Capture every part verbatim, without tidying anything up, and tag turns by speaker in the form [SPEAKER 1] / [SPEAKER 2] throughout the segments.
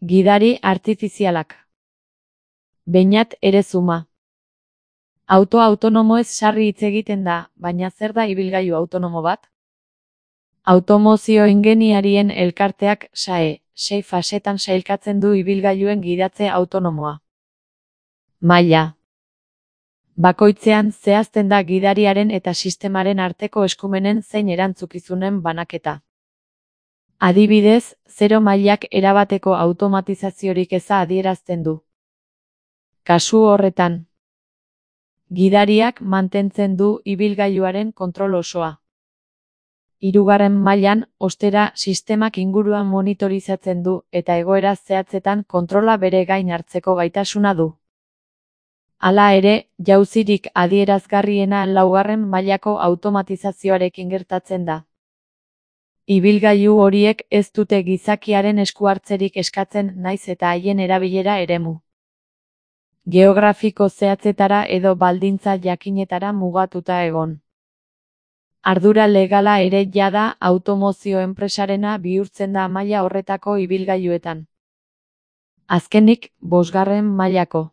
[SPEAKER 1] Gidari artifizialak. Beñat Erezuma. Auto autonomoez sarri hitz egiten da, baina zer da ibilgailu autonomo bat? Automozio ingeniarien elkarteak S A E, sei fasetan sailkatzen du ibilgailuen gidatze autonomoa. Maila. Bakoitzean zehazten da gidariaren eta sistemaren arteko eskumenen zein erantzukizunen banaketa. Adibidez, zero mailak erabateko automatizaziorik eza adierazten du. Kasu horretan, gidariak mantentzen du ibilgailuaren kontrol osoa. Hirugarren mailan, ostera, sistemak inguruan monitorizatzen du eta egoera zehatzetan kontrola bere gain hartzeko gaitasuna du. Hala ere, jauzirik adierazgarriena laugarren mailako automatizazioarekin gertatzen da. Ibilgailu horiek ez dute gizakiaren esku hartzerik eskatzen naiz eta haien erabilera eremu geografiko zehatzetara edo baldintza jakinetara mugatuta egon. Ardura legala ere jada automozio enpresarena bihurtzen da maila horretako ibilgailuetan. Azkenik, bosgarren mailako.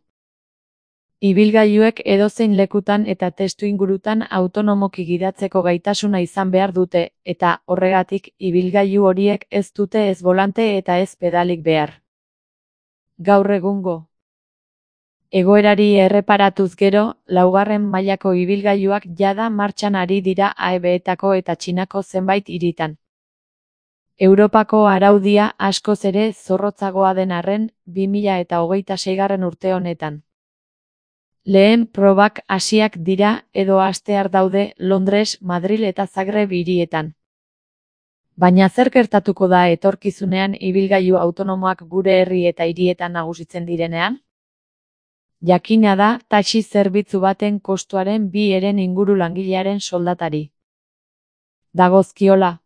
[SPEAKER 1] Ibilgailuek edozein lekutan eta testuingurutan autonomoki gidatzeko gaitasuna izan behar dute, eta, horregatik, ibilgailu horiek ez dute ez bolante eta ez pedalik behar. Gaur egungo egoerari erreparatuz gero, laugarren mailako ibilgailuak jada martxan ari dira A E B-etako eta Txinako zenbait hiritan. Europako araudia askoz ere zorrotzagoa den arren, bi mila eta hogeita seigarren urte honetan. Lehen probak hasiak dira edo hastear daude Londres, Madril eta Zagreb hirietan. Baina zer gertatuko da etorkizunean ibilgailu autonomoak gure herri eta hirietan nagusitzen direnean? Jakina da taxi zerbitzu baten kostuaren bi heren inguru langilearen soldatari dagozkiola.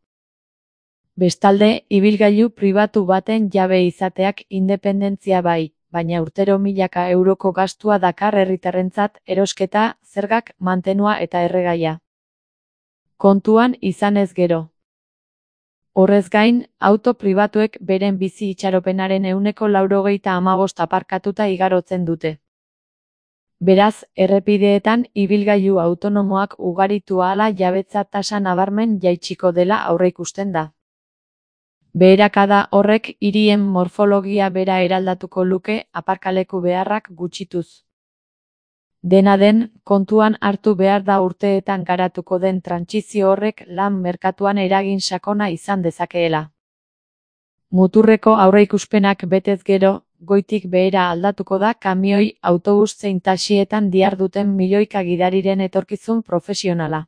[SPEAKER 1] Bestalde, ibilgailu pribatu baten jabe izateak independentzia bai, baina urtero milaka euroko gastua dakar herritarrentzat erosketa, zergak, mantenua eta erregaia. Kontuan izanez gero. Horrez gain, auto pribatuek beren bizi itxaropenaren ehuneko laurogeita hamabost aparkatuta igarotzen dute. Beraz, errepideetan ibilgailu autonomoak ugaritu ahala jabetza tasa nabarmen jaitsiko dela aurreikusten da. Beherakada horrek hirien morfologia bera eraldatuko luke aparkaleku beharrak gutxituz. Dena den, kontuan hartu behar da urteetan garatuko den trantsizio horrek lan merkatuan eragin sakona izan dezakeela. Muturreko aurreikuspenak betez gero, goitik behera aldatuko da kamioi, autobus zein taxietan diharduten milioika gidariren etorkizun profesionala.